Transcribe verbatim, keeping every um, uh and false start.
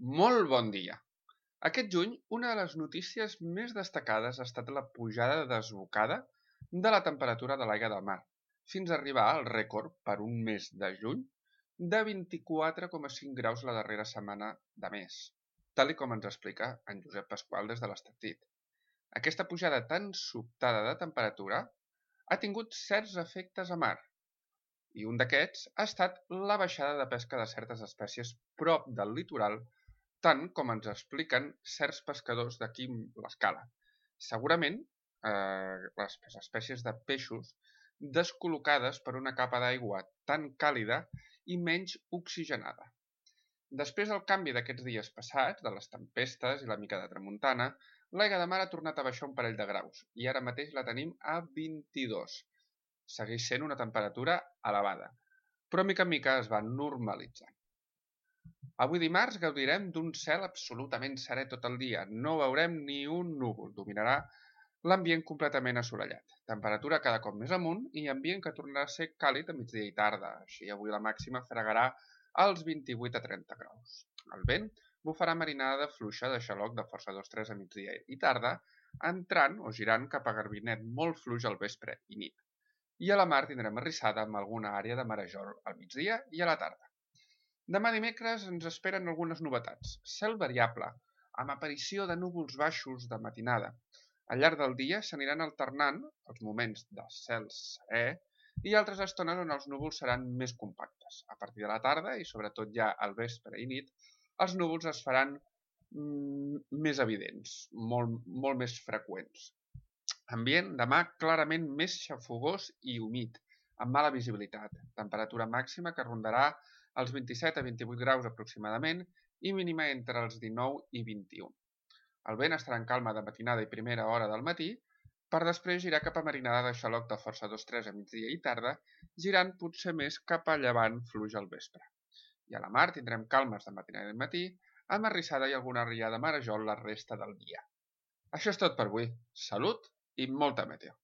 Molt bon dia! Aquest juny, una de les notícies més destacades ha estat la pujada desbocada de la temperatura de l'aigua del mar, fins a arribar al rècord per un mes de juny de vint-i-quatre coma cinc graus la darrera setmana de mes, tal com ens explica en Josep Pasqual des de l'Estartit. Aquesta pujada tan sobtada de temperatura ha tingut certs efectes a mar, i un d'aquests ha estat la baixada de pesca de certes espècies prop del litoral, tant com ens expliquen certs pescadors d'aquí l'escala. Segurament eh, les espècies de peixos descol·locades per una capa d'aigua tan càlida i menys oxigenada. Després del canvi d'aquests dies passats, de les tempestes i la mica de tramuntana, l'aigua de mar ha tornat a baixar un parell de graus i ara mateix la tenim a vint-i-dos. Segueix sent una temperatura elevada, però mica en mica es va normalitzant. Avui dimarts gaudirem d'un cel absolutament serè tot el dia. No veurem ni un núvol. Dominarà l'ambient completament assolellat. Temperatura cada cop més amunt i ambient que tornarà a ser càlid a migdia i tarda. Així avui la màxima fregarà als vint-i-vuit a trenta graus. El vent bufarà marinada fluixa de xaloc de força dos tres a migdia i tarda, entrant o girant cap a garbinet molt fluix al vespre i nit. I a la mar tindrem arrissada amb alguna àrea de marejol al migdia i a la tarda. Demà dimecres ens esperen algunes novetats. Cel variable, amb aparició de núvols baixos de matinada. Al llarg del dia s'aniran alternant els moments de cel serè i altres estones on els núvols seran més compactes. A partir de la tarda i sobretot ja al vespre i nit, els núvols es faran mm, més evidents, molt, molt més freqüents. Ambient demà clarament més xafogós i humit, amb mala visibilitat. Temperatura màxima que rondarà els vint-i-set a vint-i-vuit graus aproximadament i mínima entre els dinou i vint-i-u. El vent estarà en calma de matinada i primera hora del matí, per després girar cap a marinada de xaloc de força dos tres a migdia i tarda, girant potser més cap a llevant fluix al vespre. I a la mar tindrem calmes de matinada i matí, amb arrissada i alguna riada marejol la resta del dia. Això és tot per avui. Salut i molta meteo!